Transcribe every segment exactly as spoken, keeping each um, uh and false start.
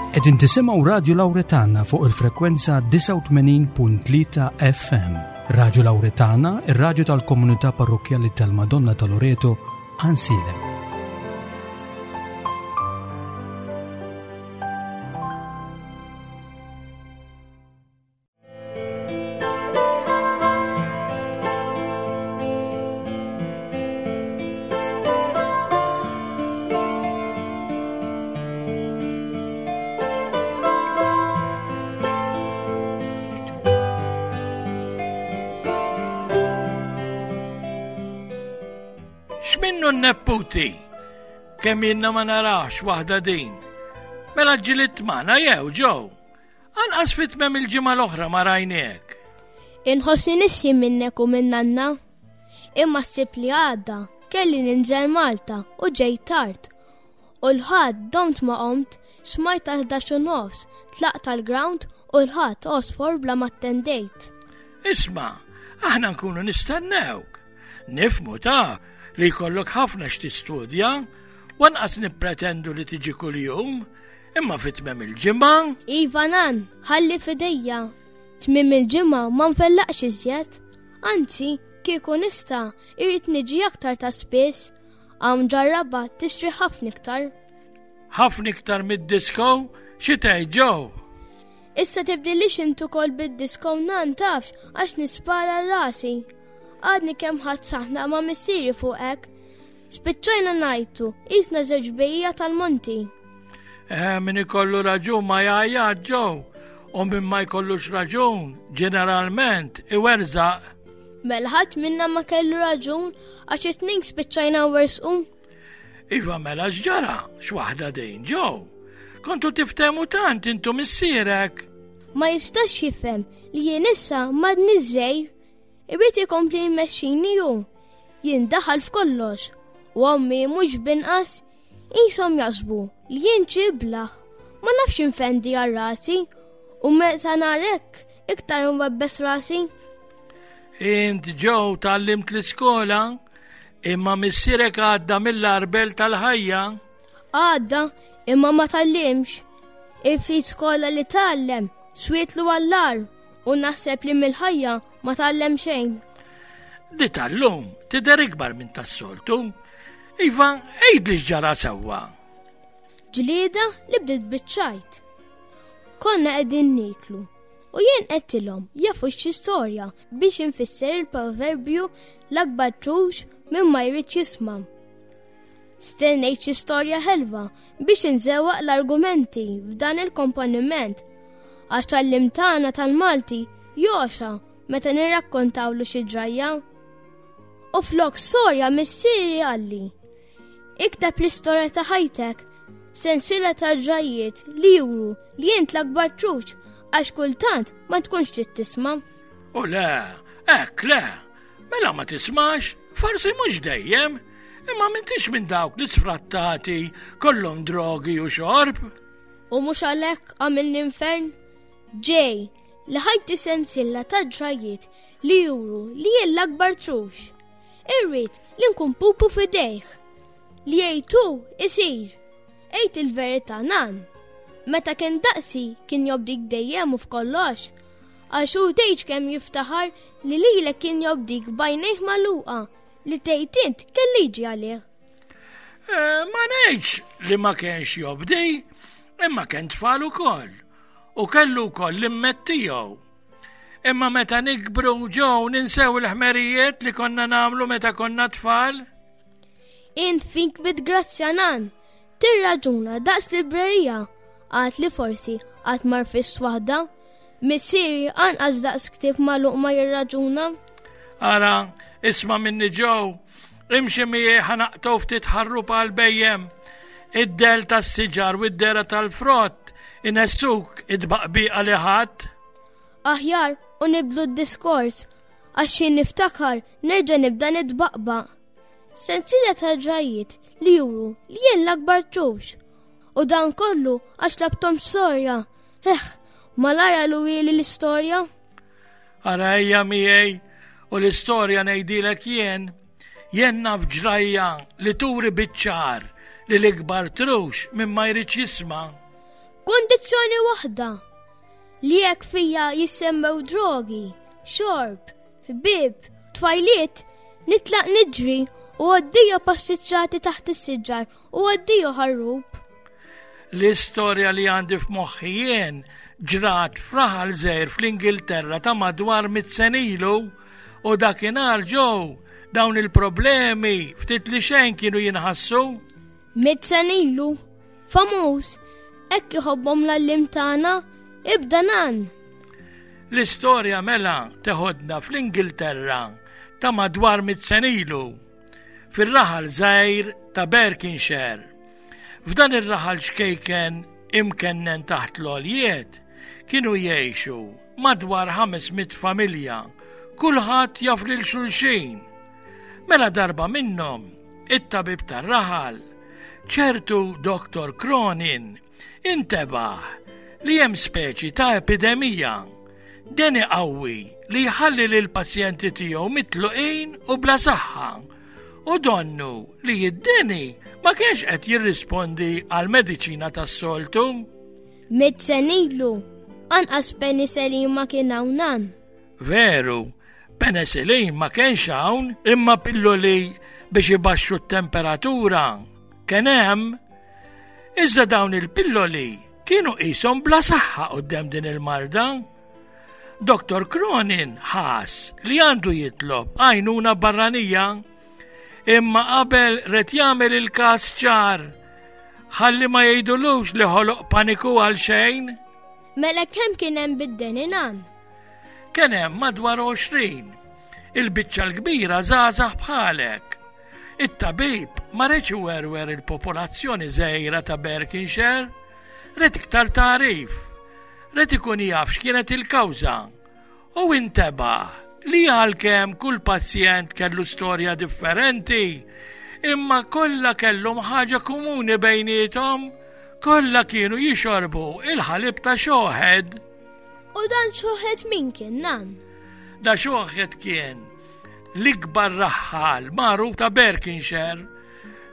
Qegħdin tisimgħu Radio Lauretana fuq il-frekwenza disgħa u tmenin punt tlieta F M. Radio Lauretana, ir-radju tal-komunità parrokkjali tal-Madonna ta' Loreto, Għajnsielem. X'minnu n-nepputi? Kemm jiena ma narax waħda din. Mela ġilit magħna jew ġew. Anqas fi tmiem il-ġimgħa l-oħra ma rajniek. Inħossni nisħi minnek u minn nanna. Imma s-Sibt li għadda kelli ninżel Malta u ġejt tard. U l-Ħadd domt ma qomt, smajt ta' ħdax u nofs, tlaqt tal-ground u l-Ħadd għosfor bla ma attendejt. Isma', aħna nkunu nistennewk. Nifhmu ta' li jkollok ħafna x'tistudja, u anqas nippretendu li tiġi kuljum, imma fi tmiem il-ġimgħa. Iva nan, ħalli f'idejja. Tmiem il-ġimgħa ma nfellaqx iżjed. Anzi, kieku nista', irrid niġi aktar ta' spiss. Hawn ġarraba tixtri ħafna iktar. Ħafna iktar mid-disco, xi tgħid ġew? Issa tibdilix int ukoll bid-disco nan tafx għax nispara rasi. Għadni kemm ħadd saħna ma' missieri fuq hekk. Spiċċajna ngħajtu, qisna żewġ bejja tal-monti. Eh, min ikollu raġun ma jgħajjat ġew, u min ma jkollux raġun, ġeneralment iwerżaq. Mela ħadd minna ma kellu raġun għax it-tnejn spiċċajna wersqu. Iva mela x'ġara, x'waħda din ġew. Kontu tiftehmu tant intu missierek. Ma jistax jifhem li jien issa m'għadni żgħir. Irid ikompli jmexxini hu. Jien daħal f'kollox. U ommi mhux binqas qishom jaħsbu li jien ċiblaħ. Ma nafx infendi għal rasi u meta narek iktar nwebbes rasi. Int ġew tgħallimt l-iskola, imma missierek għadda mill-arbel tal-ħajja. Għadda, imma ma tgħallimx. Il-ftit skola li tgħallem swietlu għall-ar u naħseb li mill-ħajja ma tgħallem xejn. Di tal-lum tidher ikbar minn tas-soltu. Iva, għid li x'ġara sewwa. Ġlieda li bdiet biċ-ċajt. Konna qegħdin nieklu u jien qedtilhom jafu xi storja biex infisser il-proverbju l-akbar trux minn ma jridx jisma'. Stennejt xi storja ħelwa biex inżewwaq l-argumenti f'dan il-komponiment għax tal-lim tagħna tal-Malti joxa meta nirrakkontawlu xi ġrajja. U flok storja missieri qalli, ikteb l-istorja ta' ħajtek, sensiela ta' ġrajjiet li juru li int l-akbar trux għax kultant ma tkunx trid tisma'. U le, hekk le, mela ma tismax, forsi mhux dejjem, imma m'intix minn dawk li sfrattati kollhom drogi u xorb. U mhux għalhekk għamilni infern? Ġej, li ħajti sensiela ta' ġrajjiet li juru li jien l-akbar trux. Irrid li nkun pupu f'idejh. Li jgħidu isir. Għid il-verità nan. Meta kien daqsi kien jobdik dejjem u f'kollox. Għax hu tgħidx kemm jiftaħar li lilek kien jobdik b'għajnejh magħluqa li tgħid int kelli jiġi għalih. Eh, ma ngħidx li ma kienx jobdi, imma kien tfal ukoll. U kellu wkoll l-immet tiegħu. Imma meta nikbru ġew ninsew il-ħmerijiet li konna nagħmlu meta konna tfal. Int fink bit-grazzja nan, tirraġuna daqs librerija, għad li forsi għad marfis waħda, missieri anqas daqs ktieb magħluq ma jirraġuna. Ara, isma' minni ġew, imxi miegħi ħanaqtgħu ftit ħarrub għal bejjem. Id-del tas-siġar u d-dera tal-frott inessuk id-baqbiqa li ħadd. Aħjar u nibdlu d-diskors, għax xi niftakar nerġa' nibda nitbaqbaq. Sensiela ta' ġrajjiet li juru li jien l-akbar trux. U dan kollu għax labtom storja. Eh, malara l-wili l-istorja. Ara ejja miegħi u l-istorja ngħidilek jien. Jien naf ġrajja li turi biċ-ċar li l-ikbar trux minn ma jridx jisma'. B'kundizzjoni waħda li jekk fija jissemmew drogi, xorb, ħbieb, tfajliet, nitlaq niġri u għaddija passiġġati taħt is-siġar u għaddija ħarrub. L-istorja li għandi f'moħħi jien ġrat f'raħal żgħir fl-Ingilterra ta' madwar mitt sena ilu u dakinhar ġew dawn il-problemi ftit li xejn kienu jinħassu. Mitt sena ilu, famuż, hekk iħobbhom l-għalliem tagħna, ibda nan. L-istorja mela teħodna fl-Ingilterra ta' madwar mitt sena ilu, fir-raħal żgħir ta' Berkshire. F'dan ir-raħal xkejken imkennen taħt l-għoljiet kienu jgħixu madwar ħames mitt familja, kulħadd jaf lil xulxin. Mela darba minnhom, it-tabib tar-raħal, ċertu Doktor Cronin, intebaħ li hemm speċi ta' epidemija, deni qawwi li jħalli lil pazjenti tiegħu mitluqin u bla saħħa, u donnu li id-deni ma kienx qed jirrispondi għal mediċina tas-soltu. Mitt sena ilu, anqas penicillin ma kien hawn nan. Veru, penicillin ma kienx hawn, imma pilloli biex ibaxxu t-temperatura kien hemm. Iżda dawn il-pilloli kienu qishom bla saħħa quddiem din il-marda. Doktor Cronin ħass li għandu jitlob għajnuna barranija, imma qabel ret jagħmel il-każ ċar ħalli ma jgħidulux li ħoloq paniku għal xejn. Mela kemm kien hemm bid-deni nan? Kien hemm madwar għoxrin. Il-biċċa l-kbira żgħażagħ bħalek. It-tabib ma reċ iwerwer il-popolazzjoni żgħira ta' Berkshire, ret iktar tagħrif, ret ikun jaf x'kienet il-kawża u intebaħ li għalkemm kull pazjent kellu storja differenti, imma kollha kellhom ħaġa komuni bejniethom, kollha kienu jixorbu il-ħalib ta' xoħed. U dan xoħed min kien nan? Da xoħed kien l-ikbar raħħal magħruf ta' Berkshire,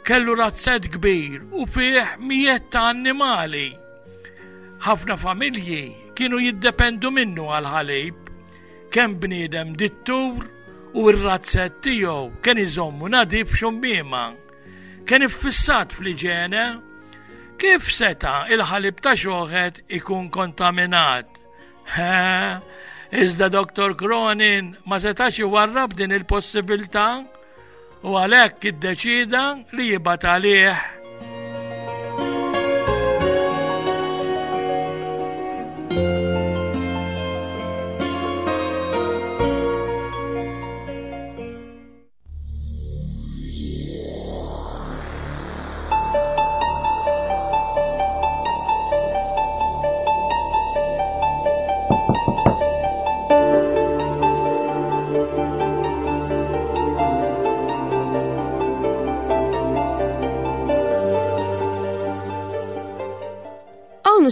kellu razzett kbir u fih mijiet ta' annimali. Ħafna familji kienu jiddependu minnu għal-ħalib, kemm bniedem dittur u r-razzett tiegħu kien iżommu nadif xummiema. Kien iffissat fl-iġene. Kif seta' il-ħalib ta' xoħed ikun kontaminat? Ha, iżda Doktor Cronin ma setax iwarrab din il-possibilità u għalhekk iddeċida li jibgħat għalih.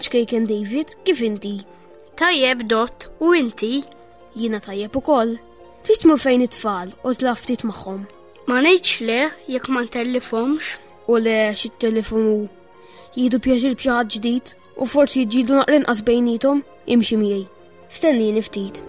Ċkejken David, kif inti? Tajjeb, Dot, u inti? Jiena tajjeb ukoll. Tix tmur fejn it-tfal u tlaf ftit magħhom? Ma ngħidx le jekk ma ntellifhomx. U le xi telefon hu. Jieħdu pjaċir b'xi ħadd ġdid u forsi jiġġieldu naqra inqas bejniethom, imxi miegħi. Stennini ftit.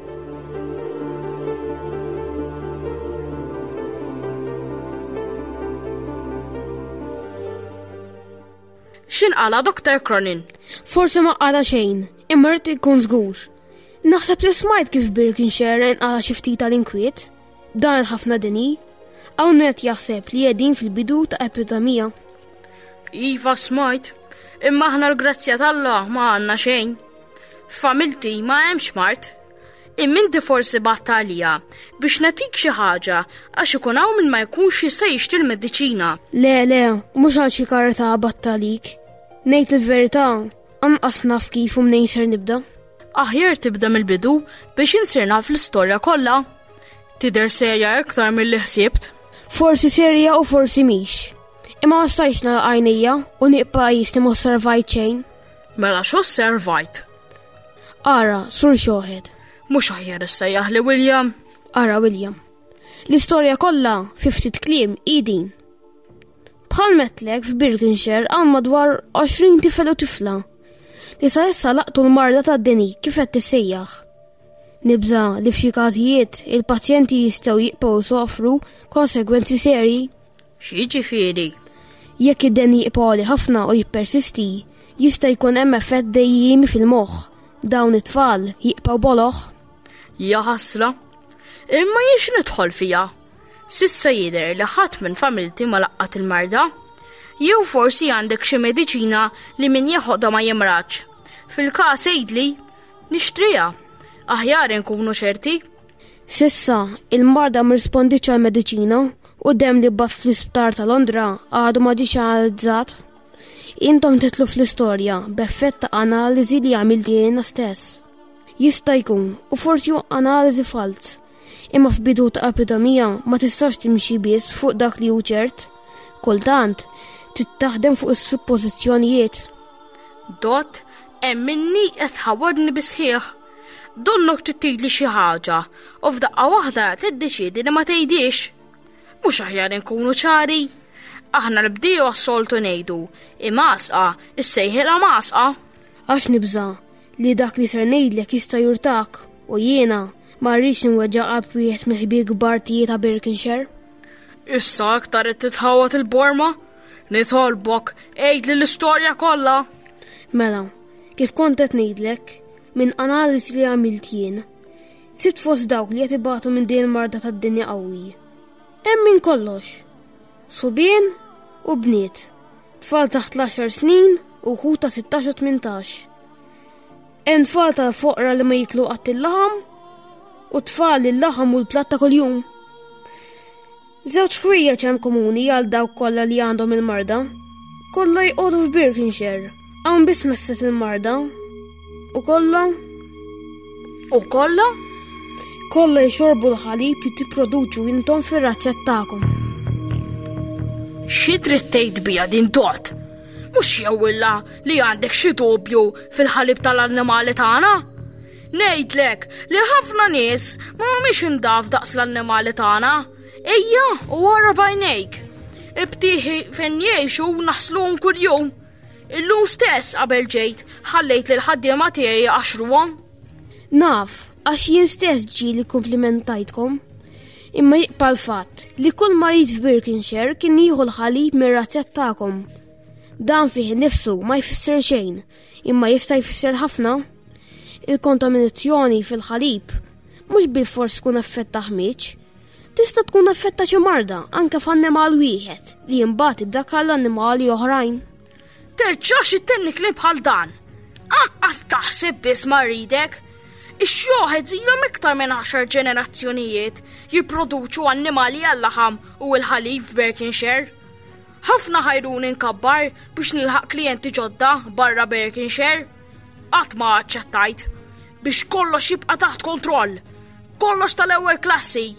X'inqala, Doktor Cronin? Forsi ma qala xejn, imma rrid ikun żgur. Naħseb li smajt kif Berkshire inqala xi ftit tal-inkwiet. Dan il-ħafna deni. Hawn qed jaħseb li qegħdin fil-bidu ta' epidemija. Iva smajt, imma aħna l-grazzja t'Alla ma għandna xejn. F'familti ma hemmx mard. Imma inti forsi batt għalija biex nagħtik xi ħaġa għax ikun hawn min ma jkunx jista' jixtri l-mediċina. Le, le, mhux għal xi karta batt għalik. Ngħid il-verità, anqas naf kif u mnejn ser nibda. Aħjar tibda mill-bidu biex insir naf l-istorja kollha. Tidher serja iktar milli ħsibt. Forsi serja u forsi mhix. Imma ma stajtx nagħlaq għajnejja u nibqa' qisni ma osservajt xejn. Mela x'osservajt? Ara, sur xoħed. Mhux aħjar issejjaħ li William. Ara William. L-istorja kollha fi ftit kliem hi din. Bħal metlek f'Berkshire hawn madwar għoxrin tifel u tifla li sa issa laqtu l-marda tad-deni kif qed tissejjaħ. Nibża' li f'xi każijiet il-pazjenti jistgħu jibqgħu sofru konsegwenzi serji. X'jiġifieri? Jekk id-deni jibqa' għoli ħafna u jippersisti, jista' jkun hemm effett dejjiemi fil-moħħ. Dawn it-tfal jibqgħu boloh. Ja ħasra. Imma jiex nidħol fija. S'issa jidher li ħadd minn familti ma laqqat il-marda. Jew forsi għandek xi mediċina li min jeħodha ma jimraġ. Fil-każ għidli, nixtriha. Aħjar inkunu ċerti. S'issa, il-marda ma rrispondietx għall-mediċina u d-demm li bgħatt fl-isptar ta' Londra għadu ma ġiex analizzat. Intom titlu fl-istorja b'effett ta' analiżi li għamilt jiena stess. Jista' jkun u forsi hu analiżi falz, imma f'bidu ta' epidemija ma tistax timxi biss fuq dak li hu ċert. Kultant, trid taħdem fuq is-suppożizzjonijiet. Dot, hemm minni qed tħawwadni bisħieħ. Donnok trid tgħidli xi ħaġa u f'daqqa waħda tiddeċiedi li ma tgħidix. Mhux aħjar inkunu ċari. Aħna l-bdiewa s-soltu ngħidu, imgħasqa issejħilha mgħasqa. Għax nibża' li dak li ser ngħidlek jista' jurtak u jiena ma rridx nweġġa' qalb wieħed mill-ħbieb kbar tiegħi ta' Birkenshire. Issa aktar qed titħawwad il-borma? Nitolbok, għidli l-istorja kollha. Mela, kif kont qed ngħidlek, minn analiżi li għamilt jien, sibt fost dawk li qed ibatu minn din il-marda tad-dinja qawwi. Hemm minn kollox. Subien u bniet, tfal taħt l-għaxar snin u wħud ta' sittax u tmintax. Hemm tfal tal-foqra li ma jiklu qatt il-laħam u tfal li l-laħam u l-platt ta' kuljum. Żewġ ħwejjeġ hemm komuni għal dawk kollha li għandhom il-marda. Kollha jqogħdu f'Birkenshire. Hawn biss messet il-marda. U kollha? U kollha? Kollha jxorbu l-ħalib li tipproduċu intom fir-razzett tagħkom. Xi trid tgħid bija din Dot? Mhux jewwilla li għandek xi dubju fil-ħalib tal-annimali tagħna? Ngħidlek li ħafna nies ma humiex indaf daqs l-annimali tagħna. Ejja, u wara bajnejk. Ibtieħi fejn jgħixu naħsluhom kuljum. Illum stess qabel ġejt ħallejt lil ħaddiema tiegħi jqaxxruhom. Naf, għax jien stess ġieli komplimentajtkom. Imma jibqa' l-fatt li kull marid f'Birkenshire kien jieħu l-ħalib mir-razzett tagħkom. Dan fih innifsu ma jfisser xejn, imma jista' jfisser ħafna. Il-kontaminazzjoni fil-ħalib mhux bilfors tkun effett ta' ħmieġ. Tista' tkun effett ta' xi marda anke f'annimal wieħed li imbagħad iddakkar l-annimali oħrajn. Terġax ittenni kliem bħal dan. Anqas taħseb biss ma rridek. Ix-xjoħed ilhom iktar minn għaxar ġenerazzjonijiet jipproduċu annimali għal-laħam u l-ħalib f'Birkenshire. Ħafna ħajruni nkabbar biex nilħaq klijenti ġodda barra Birkenshire. Qatt ma aċċettajt biex kollox jibqa' taħt kontroll. Kollox tal-ewwel klassi.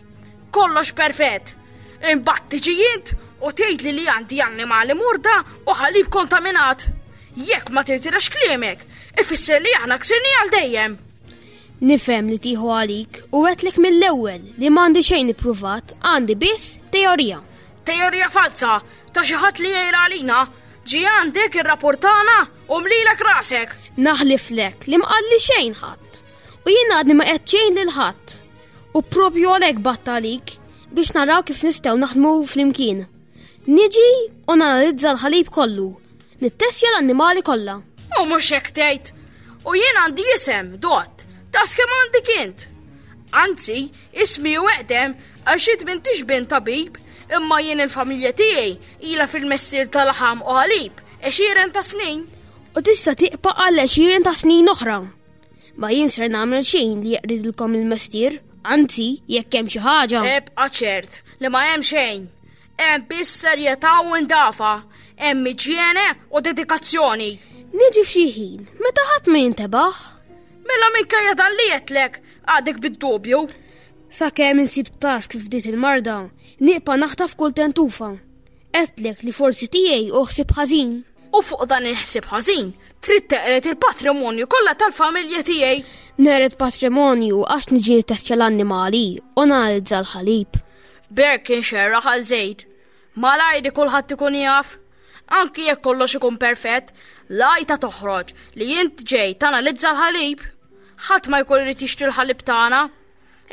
Kollox perfett. Imbagħad tiġi int u tgħidli li għandi annimali morda u ħalib kontaminat. Jekk ma tirtirax kliemek, ifisser li aħna ksirni għal dejjem. Nifhem li tieħu għalik u għedtlek mill-ewwel li m'għandi xejn ippruvat, għandi biss teorija. Teorija falsa ta' xi ħadd li jgħir għalina, ġie għandek irrapportana u mlilek rasek. Naħliflek li mqalli xejn ħadd. U jien għadni ma qed xejn lil ħadd. U propju għalhekk batt għalik biex naraw kif nistgħu naħdmu flimkien. Niġi u nanalizza l-ħalib kollu, nittestja l-annimali kollha. U mhux hekk tgħid. U jien għandi isem, Dot, daqs kemm għandek int. Anzi, ismi u eqdem għax int m'intix bin tabib, imma jien il-familja tiegħi ilha fil-mestier tal-laħam u ħalib għexieren ta' snin. U tista' tibqa' għal għexieren ta' snin oħra. Ma jien ser nagħmel xejn li jeqridilkom il-mestier, anzi, jekk hemm xi ħaġa. Ebqa' ċert li ma hemm xejn. Hemm biss serjetà u indafa, hemm iġjene u dedikazzjoni. Niġi f'xi ħin, meta ħadd ma jintebaħ. Mela minkejja dan li għedtlek għadek bid-dubju. Sakemm insib tarf kif bdiet il-marda, nieqpa naħtaf kull tentufa. Għedtlek li forsi tiegħi u ħsieb ħażin. U fuq dan il-ħsieb ħażin, trid teqred il-patrimonju kollha tal-familja tiegħi. Neqred patrimonju għax niġi nittestja l-annimali u nanalizza l-ħalib. Birkenshire raħal żejr. Malajri kulħadd ikun jaf. Anki jekk kollox ikun perfett, l-għajta toħroġ li int ġej tanalizza l-ħalib. Ħadd ma jkun irid jixtri l-ħalib tagħna.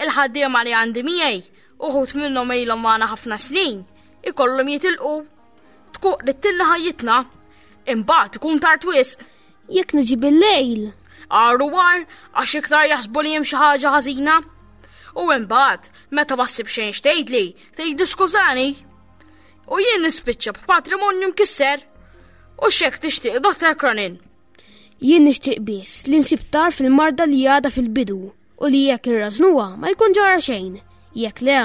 Il-ħaddiema li għandi miegħi, uħud minnhom ilhom magħna ħafna snin, ikollhom jitilqu. Tkun qridtilna ħajjitna. Imbagħad ikun tard wisq. Jekk niġi bil-lejl. Għar u għar, għax iktar jaħsbu li hemm xi ħaġa ħażina. U imbagħad, meta ma ssib xejn x'tgħidli, tgħidli skużani. U jien nispiċċa b'patrimonju mkisser. U x'hekk tixtieq, Dottor Cronin? Jien nixtieq biss li nsib tarf il-marda li għadha fil-bidu u li jekk irrażnuha ma jkun ġara xejn. Jekk le,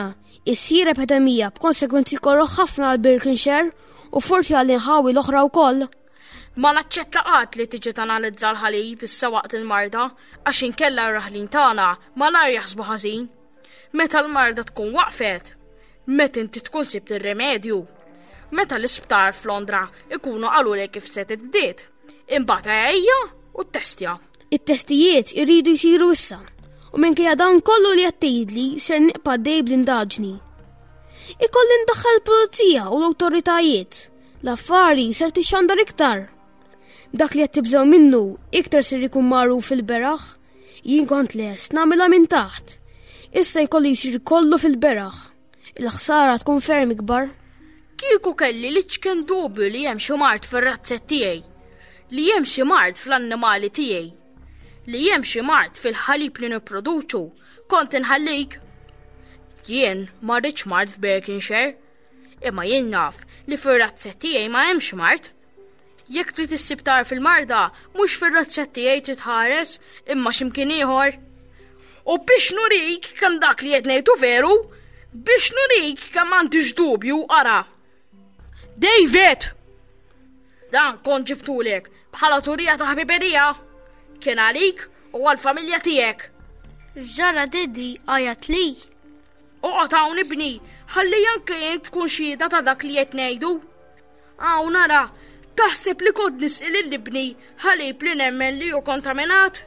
issir epidemija b'konsekwenzi korroħ ħafna għal Birkenshire u forsi għal inħawi l-oħra wkoll. Ma naċċetta qatt li tiġi tanalizza l-ħalib issa waqt il-marda għax inkella r-raħlin tagħna malajr jaħsbu ħażin. Meta l-marda tkun waqfet, meta inti tkun sibt ir-remedju, meta l-isptar f'Londra ikunu qalulek kif se tibdiet, imbagħad ejja u ttestja. It-testijiet iridu jsiru issa u minkejja dan kollu li qed tgħidli ser nibqa' dej bl-indaġni. Ikolli ndaħħal il-pulizija u l-awtoritajiet. L-affari ser tixxandar iktar. Dak li qed tibżgħu minnu iktar ser ikun magħruf fil-beraħ. Jien kont lest nagħmilha minn taħt. Issa jkollu jsir kollu fil-beraħ. Il-ħsara tkun ferm ikbar. Kieku kelli l-iċken dubju li hemm xi mard fir-razzett tiegħi, li hemm xi mard fl-annimali tiegħi, li hemm xi mard fil-ħalib li nipproduċu, kont inħallik. Jien ma rridx mard f'Berkenshire, imma jien naf li fir-razzett tiegħi ma hemmx mard. Jekk trid issib tarf fil-marda, mhux fir-razzett tiegħi trid tħares, imma x'imkien ieħor. U biex nurik kemm dak li qed ngħidu veru, biex nurik kemm m'għandix dubju, ara. David! Dan kont ġibtulek bħala turija ta' ħbiberija. Kien għalik u għall-familja tiegħek. Ġara Daddy għajat li. Oqgħod hawn ibni, ħalli anke int tkun xhieda ta' dak li qed ngħidu. Hawn ara, taħseb li kont nisqi lil ibni ħalib li nemmen li hu kontaminat?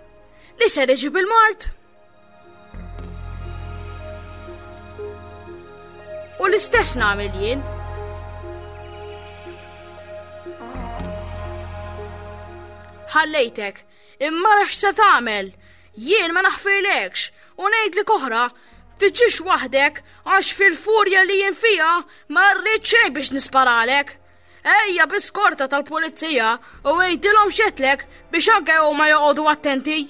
Li ser iġib il-mard? U l-istess nagħmel jien. Ħallejtek, imma rax se tagħmel. Jien ma naħfirlekx u ngħidlek oħra, tiġix waħdek għax fil-furja li jien fiha ma rrid xejn biex nisparalek. Ejja bi skorta tal-pulizija u għidilhom x'għedtlek biex anke huma joqogħdu attenti.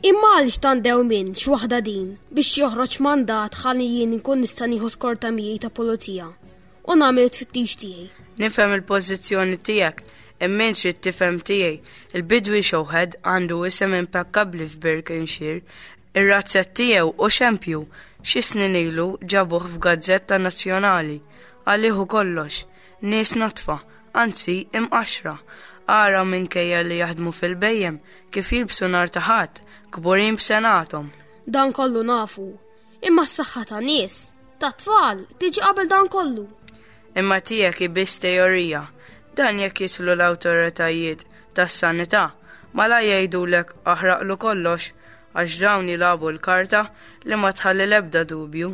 Imma għaliex tandew minn x'waħda din biex joħroġ mandat ħalli jien inkun nista' nieħu skorta miegħi ta' pulizija u nagħmel it-tfittix tiegħi. Nifhem il-pożizzjoni tiegħek, imma int trid tifhem tiegħi. Il-bidwi Showhead għandu isem impekkabbli f'Berkenshire. Ir-razzett tiegħu u xempju xi snin ilu ġabuh f'gazzetta nazzjonali. Għalih kollox, nies notfa, anzi imqaxra. Ara minkejja li jaħdmu fil-bejjem kif jilbsu nhar ta' ħadd, kburin b'senathom. Dan kollu nafu, imma s-saħħa ta' nies, ta' tfal, tiġi qabel dan kollu. Imma tiegħek hi biss teorija. Dan jekk jidħlu l-awtoritajiet tas-sanità, mala jgħidulek aħraqlu kollox għax dawn jilagħbu l-karta li ma tħalli l-ebda dubju.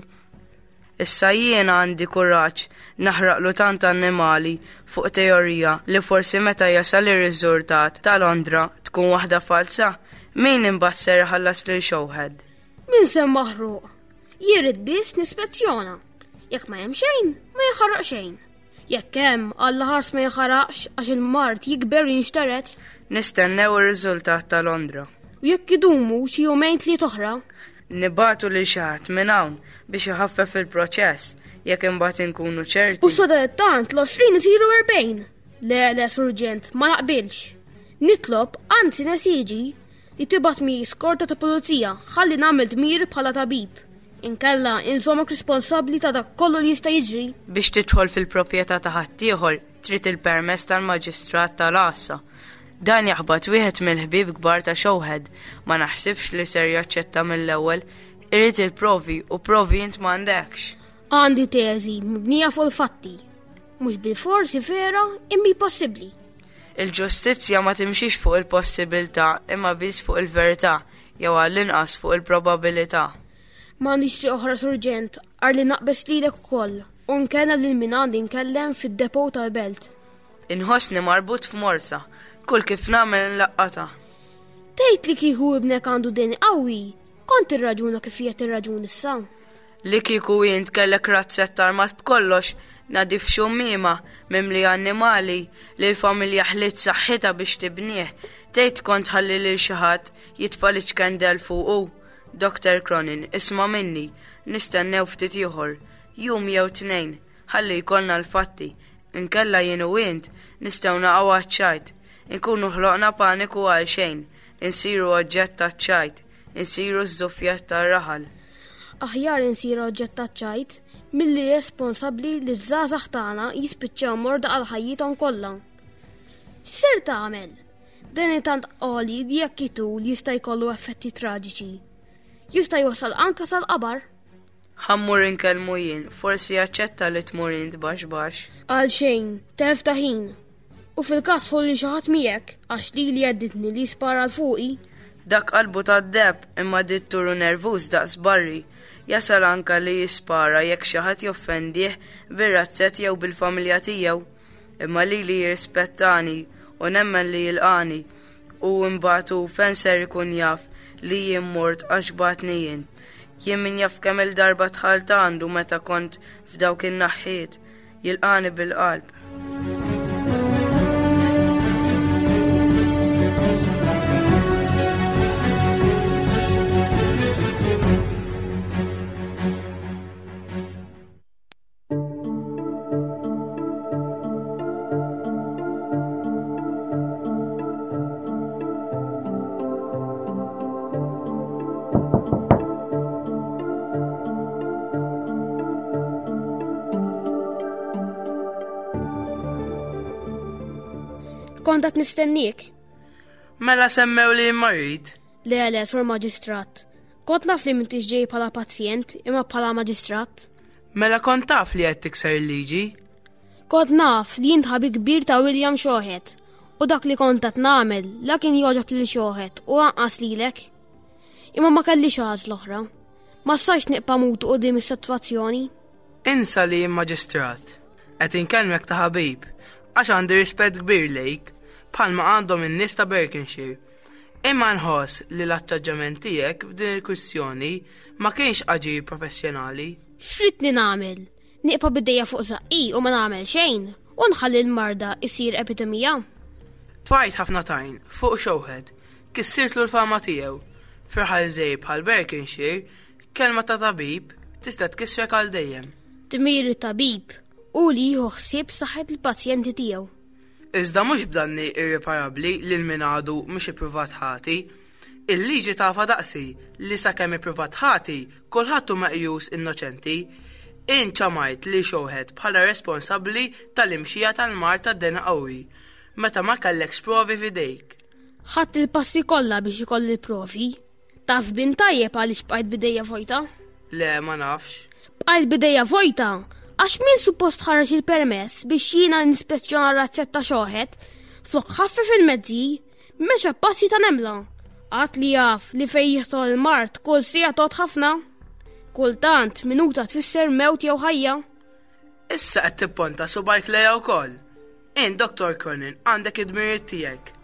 Issa jiena għandi kuraġġ naħraqlu tant annimali fuq teorija li forsi meta jasal ir-riżultat ta' Londra tkun waħda falsa, min imbagħad ser iħallas lil Showhead? Min se maħruq? Jien biss nispezzjona. Jekk ma hemm xejn, ma jinħaraq xejn. Jekk hemm, Alla ħars ma jinħaraqx għax il-mard jikber u jinxteret. Nistennew ir-riżultat ta' Londra. U jekk idumu xi jumejn tliet oħra, Nibatu li xi ħadd minn hawn biex iħaffef il-proċess jekk imbagħad inkunu ċerti. U sadanittant l-għoxrin isiru erbgħin. Le, le, surġent, ma naqbilx. Nitlob, anzi nesiġi, li tibgħat mi skorta ta' pulizija ħalli nagħmel dmir bħala tabib. Inkella inżommok responsabbli ta' dak kollu li jista' jiġri. Biex tidħol fil-proprjetà ta' ħaddieħor trid il-permess tal-maġistrat tal-għassa. Dan jaħbat wieħed mill-ħbieb kbar ta' Shawhead, ma naħsibx li ser jaċċetta mill-ewwel, irid il-provi u provi int m'għandekx. Għandi teżi mibnija fuq il-fatti. Mhux bil-forsi vera imma possibbli. Il-ġustizzja ma timxix fuq il-possibilità imma biss fuq il-verità jew għall-inqas fuq il-probabilità. M'għandix triq oħra surġent, għar li naqbes lilek ukoll u nkellem lil min għandi nkellem fid-depot tal-belt. Inħossni marbut f'morsa, kull kif nagħmel nlaqqata. Tgħid li kieku ibnek għandu deni qawwi, kont irraġuna kif qiegħed irraġun issa. Li kieku int kellek razzett armat b'kollox, nadif xummiema mimli annimali li l-familja ħliet saħħitha biex tibnieh, tgħid kont ħalli lil xi ħadd jitfa' l-iċkendel fuqu. Doktor Cronin, isma' minni, nistennew ftit ieħor, jum jew tnejn, ħalli jkollna l-fatti, inkella jien u int nistgħu naqgħu għaċ-ċajt, inkunu ħloqna paniku għal xejn, insiru oġġett taċ-ċajt, insiru ż-żuffjett tar-raħal. Aħjar insiru oġġett taċ-ċajt milli responsabbli li ż-żgħażagħ tagħna jispiċċaw morda għal ħajjithom kollha. X'ser tagħmel? Dan tant għoli li jekk itul jista' jkollu effetti traġiċi. Jista' jwassal anke sal-qabar. Ħa mmur inkellmu jien, forsi jaċċetta li tmur int baxx baxx. Għal xejn, telf ta' ħin. U fil-każ ħolli xi ħadd miegħek għax lili għedditni li jispara l fuqi. Dak qalbu tad-deb imma ditturu nervuż daqs barri. Jasal anka li jispara jekk xi ħadd joffendih bir-razzett jew bil-familja tiegħu. Imma lili jirrispettani u nemmen li jilqani u mbagħad hu fejn ser ikun jaf li jien mort għax bagħatni jien. Jien min jaf kemm il-darba dħalt għandu meta kont f'dawk in-naħħiet, jilqani bil-qalb. Kont qed nistennik. Mela semmew li marid? Le, le, sur maġistrat. Kont naf li m'intix ġej bħala pazjent imma bħala maġistrat. Mela kont taf li qed tikser il-liġi? Kont naf li int ħabib kbir ta' William Shawhead u dak li kont qed nagħmel la kien jogħġob lil Shawhead u anqas lilek. Imma ma kellix għażla oħra. Ma stajtx nibqa' mutu quddiem is-sitwazzjoni. Insa li jien maġistrat. Qed inkellmek ta' ħabib għax għandi rispett kbir lejk bħalma għandhom in-nies ta' Berkshire. Imma nħoss li l-attaġġament tiegħek f'din il-kwistjoni ma kienx aġir professjonali. X'ridni nagħmel? Nieqpa' bidejja fuq żaqqi u ma nagħmel xejn u nħalli l-marda isir epidemija. Tfajt ħafna tajn fuq Shawhead, kissirtlu l-fama tiegħu. F'raħal żgħir bħal Berkshire, kelma ta' tabib tista' tkissrek għal dejjem. Dmir tabib u li jieħu ħsieb saħħet il-pazjenti tiegħu. Iżda mhux b'danni irreparabbli lil min għadu mhux ippruvat ħati. Il-liġi tafa daqsi li sakemm ippruvat ħati kulħadd hu meqjus innoċenti. Int ċamajt li Shawhead bħala responsabbli tal-imxija tal-mard tad-deni qawwi meta ma kellekx provi f'idejk. Ħadd il-passi kollha biex ikolli l-provi. Taf bin tajjeb għaliex bqajt bidejja vojta? Le, ma nafx. Bqajt bidejja vojta għax min suppost ħareġ il-permess biex jiena nispezzjona r-razzett ta' Shawhead flok ħaffef il-mezzi mexa passi ta' nemla. Qatt li jaf li fejn jidħol il-mard kull siegħa tgħod ħafna. Kultant minuta tfisser mewt jew ħajja. Issa qed tipponta subajk lejha wkoll. Int, Doktor Cronin, għandek id-dmirijiet tiegħek.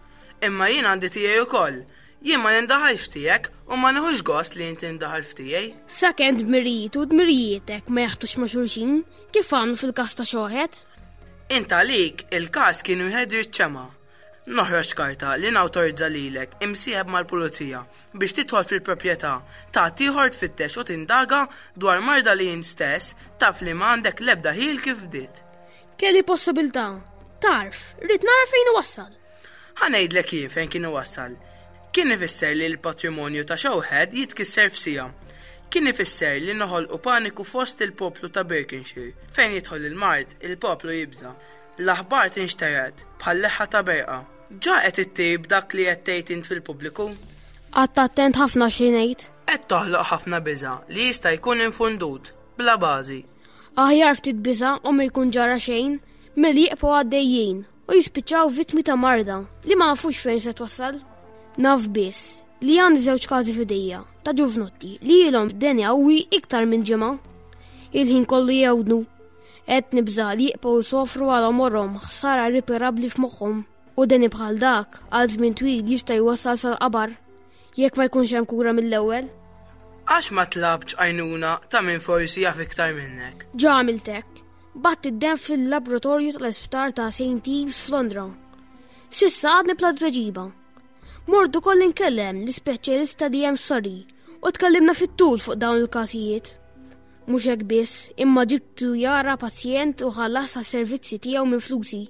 Imma jien għandi tiegħi wkoll. Jien ma nindaħalx f'tiegħek u ma nieħux gost li inti tindaħal f'tiegħi. Sakemm dmirijiet u dmirijietek ma jaħtux ma' xulxin, kif għamlu fil-każ ta' Shawhead? Int għalik il-każ kien wieħed riċċema. Noħroġ karta li nawtorizza lilek imsieħeb mal-pulizija biex tidħol fil-proprjetà ta' ieħor tfittex u tindaga dwar marda li int stess taf li ma għandek l-ebda ħil kif bdiet. Kelli possibilità. Tarf, rrid nara fejn iwassal. Ħa ngħidlek jien fejn kien iwassal. Kien ifisser li l-patrimonju ta' Showhead jitkisser f'siegħa. Kien ifisser li noħolqu paniku fost il-poplu ta' Birkenshire. Fejn jidħol il-mard, il-poplu jibża. L-aħbar tinxtered bħal leħħa ta' berqa. Ġa qed ittir b'dak li qed tgħid int fil-pubbliku. Qgħadt attent ħafna xi ngħid. Qed toħloq ħafna biża' li jista' jkun infondut, bla bażi. Aħjar ftit biża' u ma jkun ġara xejn milli jibqgħu għaddejjin u jispiċċaw vittmi ta' marda li ma nafux fejn se twassal. Naf biss li għandi żewġ każi f'idejja ta' ġuvnotti li ilhom b'deni qawwi iktar minn ġimgħa. Il-ħin kollu jewdnu. Qed nibża' li jibqgħu jsofru għal għomorhom ħsara irreparabbli f'moħħhom u deni bħal dak għal żmien twil jista' jwassal sal-qabar jekk ma jkunx hemm kura mill-ewwel. Għax ma tlabtx għajnuna ta' min forsi jaf iktar minnek. Ġa għamilt hekk. Bgħatt id-demm fil-laboratorju tal-isptar ta' Saint Ives f'Londra. S'issa għadni bla tweġiba. Mort ukoll inkellem l-ispeċjalista li hemm Surrey u tkellimna fit-tul fuq dawn il-każijiet. Mhux hekk biss, imma ġibtu jara pazjent u ħallas għas-servizzi tiegħu minn flusi.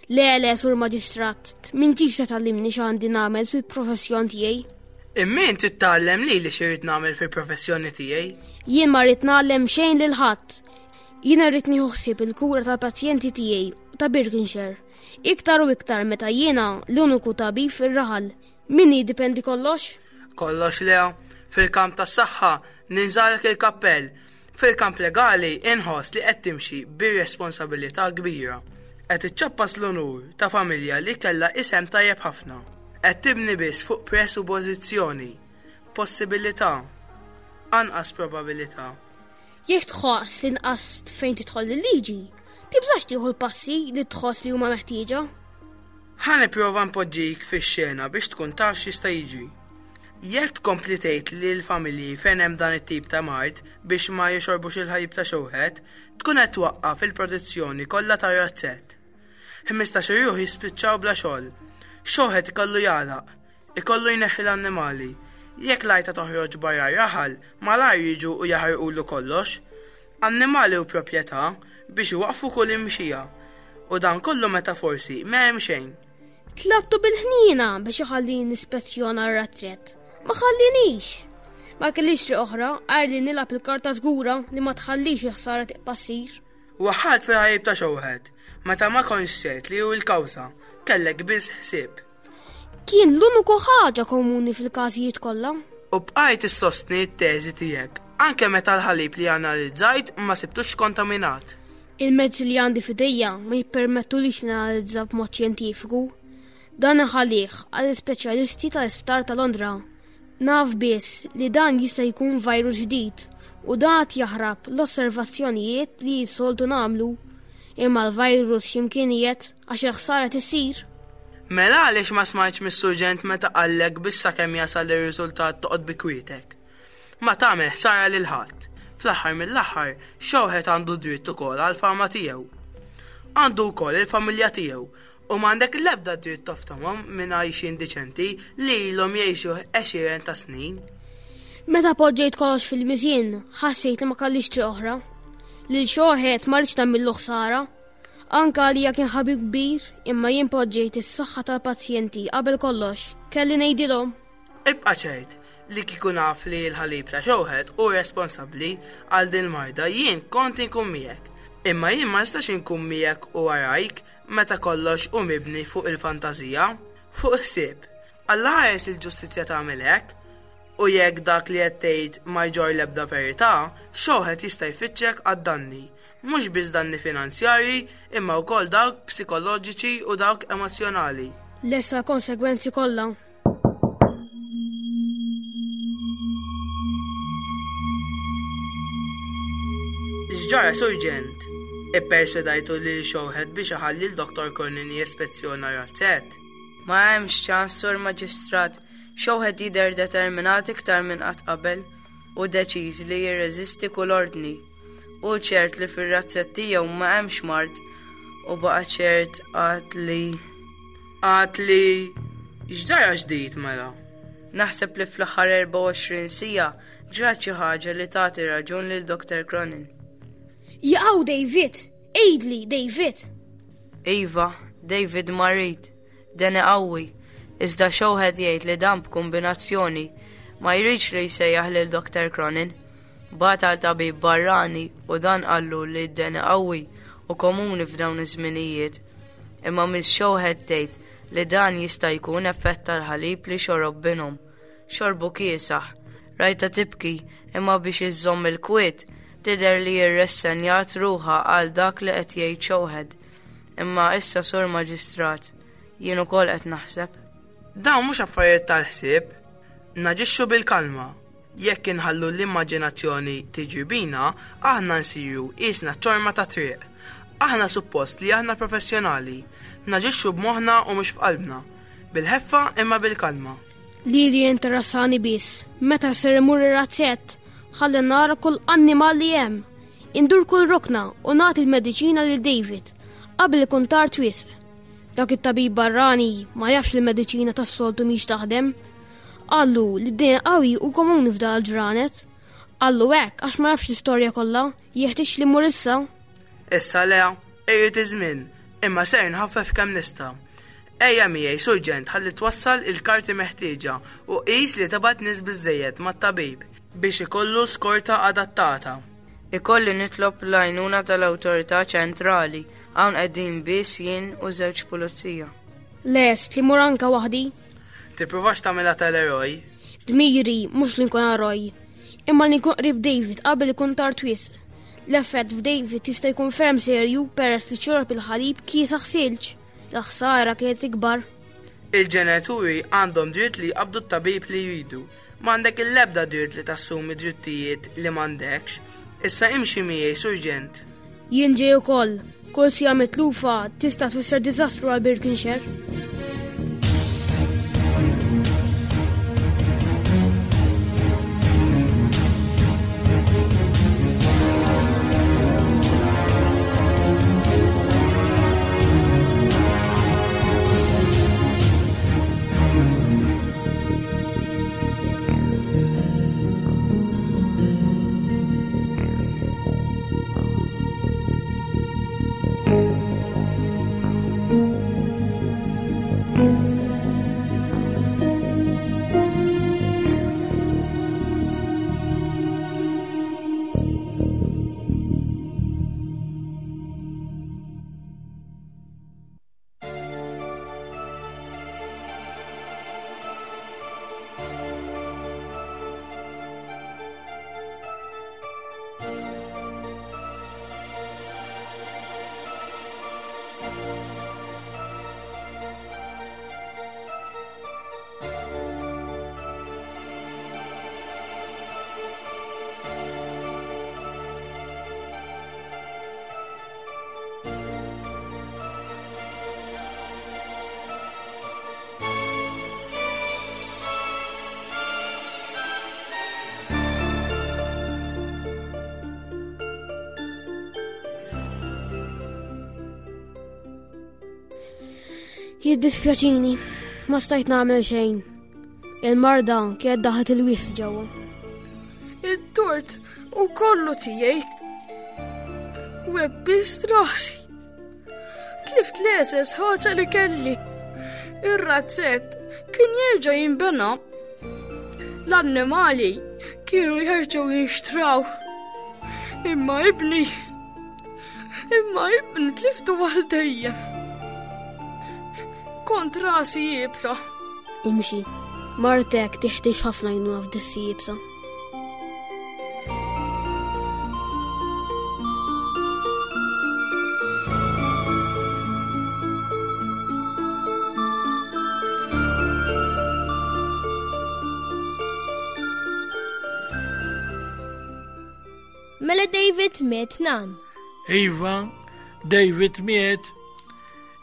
Le, le, sur maġistrat, m'intix se tgħallimni x'għandi nagħmel fil-professjon tiegħi. Imma int trid tgħallem lili x'irrid nagħmel fil-professjoni tiegħi. Jien ma rrid ngħallem xejn lil ħadd. Jiena rrid nieħu ħsieb il-kura tal-pazjenti tiegħi ta' Birkenshire. Iktar u iktar meta jiena l-uniku tabib fir-raħal. Minni jiddependi kollox? Kollox le, fil-kamp tas-saħħa ninżagħlek il-kappell. Fil-kamp legali inħoss li qed timxi bir-responsabilità kbira. Qed iċċappas l-onur ta' familja li kellha isem tajjeb ħafna. Qed tibni biss fuq presuppożizzjoni, possibilità, anqas probabilità. Jekk tħoss li nqast fejn tidħol il-liġi, tibżax tieħu l-passi li tħoss li huma meħtieġa. Ħa nipprova npoġġik fix-xena biex tkun taf x'jista' jiġri. Jekk tkompli tgħid li l-familji fejn hemm dan it-tip ta' mard biex ma jixorbux il-ħalib ta' Showhead, tkun qed twaqqaf il-produzzjoni kollha tar-razzett. Ħmistax ruħ jispiċċaw bla xogħol. Showhead ikollu jagħlaq, ikollu jneħħi l-annimali. Jekk l-għajta toħroġ barra r-raħal, malajr jiġu u jaħarqulu kollox. Annimali u proprjetà biex iwaqfu kull imxija. U dan kollu meta forsi ma hemm xejn. Tlabtu bil-ħniena biex iħallini nispezzjona r-razzett. Ma ħallinix. Ma kellix triq oħra għajr li nilgħab il-karta żgura li ma tħallix il-ħsara tibqa' ssir. Waħħalt fil-ħalib ta' Showhead, meta ma kontx ċert li hu l-kawża, kellek biss ħsieb. Kien l-uniku ħaġa komuni fil-każijiet kollha. U bqajt issostni t-teżi tiegħek, anke meta l-ħalib li analizzajt ma sibtux kontaminat. Il-mezzi li għandi f'idejja ma jippermettulix nanalizza b'mod xjentifiku. Dan inħallih għall-ispeċjalisti tal-Isptar ta' Londra. Naf biss li dan jista' jkun virus ġdid u dan qed jaħrab l-osservazzjonijiet li soltu nagħmlu. Imma l-virus x'imkien qiegħed għax il-ħsara tissir. Mela għaliex ma smajtx mis-surġent meta qallek biex sakemm jasal ir-riżultat toqgħod bi kwietek. Ma tagħmel ħsara lil ħadd. Fl-aħħar mill-aħħar, Showhead għandu dritt ukoll għall-fama tiegħu. Għandu wkoll il-familja tiegħu u m'għandek l-ebda dritt toftomhom minn għajxien diċenti li ilhom jgħixu għexieren ta' snin. Meta poġġejt kollox fil-miżien, ħassejt li ma kellix triq oħra. Lil Showhead ma rridx nagħmillu ħsara. Anka għalija kien ħabib kbir, imma jien poġġejt is-saħħa tal-pazjenti qabel kollox. Kelli ngħidilhom. Ibqa' ċert li kieku naf li l-ħalib ta' Showhead hu responsabbli għal din marda jien kont inkun miegħek. Imma jien ma nistax inkun miegħek u warajk meta kollox hu mibni fuq il-fantażija, fuq ħsieb. Alla ħares il-ġustizzja tagħmel hekk, u jekk dak li qed tgħid ma jġorr l-ebda verità, Showhead jista' jfittxek għad-danni. Mhux biss danni finanzjarji, imma wkoll dawk psikoloġiċi u dawk emozzjonali. Lesa konsegwenzi kollha. X'ġara, Surġent? Ipperswedajtu lil Showhead biex iħalli l-Doktor Cronin jespezzjona razzett. Ma hemmx ċans, Sur Maġistrat. Showhead jidher determinat iktar minn qatt qabel u deċiż li jirreżisti kull ordni. U ċert li fir-razzett tiegħu ma hemmx mard u baqa' ċert għad li Għad li x'ġara ġdid mela? Naħseb li fl-aħħar erbgħa u għoxrin siegħa ġrat xi ħaġa li tagħti raġun lil Doktor Cronin. Jaqaw David, għidli David. Iva, David marid, deni qawwi, iżda Showhead jgħid li dan b'kombinazzjoni ma jridx li jsejjaħ lil Doctor Cronin. Bagħat għal tabib barrani u dan qallu li d-deni qawwi u komuni f'dawn iż-żminijiet. Imma Miss Showhead tgħid li dan jista' jkun effett tal-ħalib li xorob binhom. Xorbu kiesaħ, rajta tibki imma biex iżżomm il-kwiet tidher li jirressenjat ruħha għal dak li qed jgħid Showhead. Imma issa sur maġistrat, jien ukoll qed naħseb. Dawn mhux affarijiet tal-ħsieb, naġixxu bil-kalma. Jekk inħallu l-immaġinazzjoni tiġi bina, aħna nsiru qisna ċorma ta' triq. Aħna suppost li aħna professjonali, naġixxu b'moħħna u mhux b'qalbna, bil-ħeffa imma bil-kalma. Lili interessani biss, meta ser imur ir-razzett, ħalli nara kull annimal li hemm. Indur kull rokna u nagħti l-mediċina lil David qabel ikun tard wisq. Dak it-tabib barrani ma jafx li l-mediċina tas-soltu mhix taħdem. Qallu li d-deni qawwi u komuni f'dan il-ġranet. Qallu hekk għax ma jafx l-istorja kollha, jeħtieġ li mmur issa. Issa Lea, irrid iż-żmien, imma ser nħaffef kemm nista'. Ejja miegħi surġent ħalli twassal il-karti meħtieġa u qis li tibgħat nies biżejjed mat-tabib biex ikollu skorta adattata. Ikolli nitlob l-għajnuna tal-awtorità ċentrali, hawn qegħdin biss jien u żewġ pulizija. Lest li mur anka waħdi. Tippruvax tagħmilha tal-eroj. Dmiri mhux li nkun eroj, imma li nkun qrib David qabel ikun tard wisq. L-effett f'David jista' jkun ferm serju peress li xorb il-ħalib kiesaħ silġ. L-ħsara kienet ikbar. Il-ġenituri għandhom dritt li jqabdu t-tabib li jridu. M'għandek il-ebda dritt li tassumi drittijiet li m'għandekx. Issa imxi miegħi, surġent. Jien ġej ukoll. Kull sija mitlufa tista' tfisser diżastru għal Birkenshire. Jiddispjaċini, ma stajt nagħmel xejn. Il-marda kienet daħlet il-wies ġewwa. It-tort u kollu tiegħi. Webbist rasi. Tlift l-eżes ħaġa li kelli. Ir-razzett kien jerġa' jinbena. L-annimali kienu jerġgħu jinxtraw. Imma ibni, imma ibni tliftu għal dejjem. Kont rasi jibsa. Imxi, martek tiħtieġ ħafna għajnuna f'dissi jibsa. Mela David miet nan. Iva, David miet.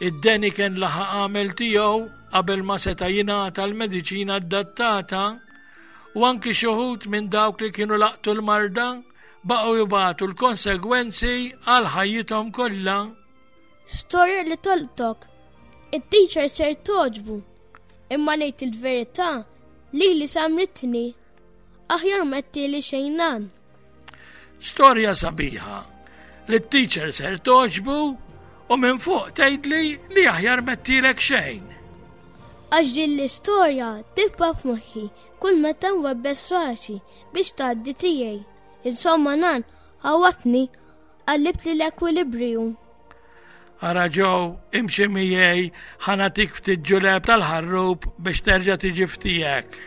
Id-deni kien laħaq għamel tiegħu qabel ma seta' jingħata l-mediċina adattata u anki xi wħud minn dawk li kienu laqtu l-marda baqgħu jibgħatu l-konsegwenzi għal ħajjithom kollha. Storja li tolqtok. It-teacher ser toġbu. Imma ngħid il-verità li li samritni. Aħjar ma li xejn nan. Storja sabiħa li t-teacher ser toġbu U minn fuq tgħidli li aħjar mettilek xejn. Għax din l-istorja tibqa' f'moħħi kull meta nwebbes rasi biex tgħaddi tiegħi. Insomma nan, ħawwadtni qallibtli l-ekwilibriju. Ara Joe, imxi miegħi ħa nagħtik ftit ġuleb tal-ħarrub biex terġa' tiġi f'tiegħek.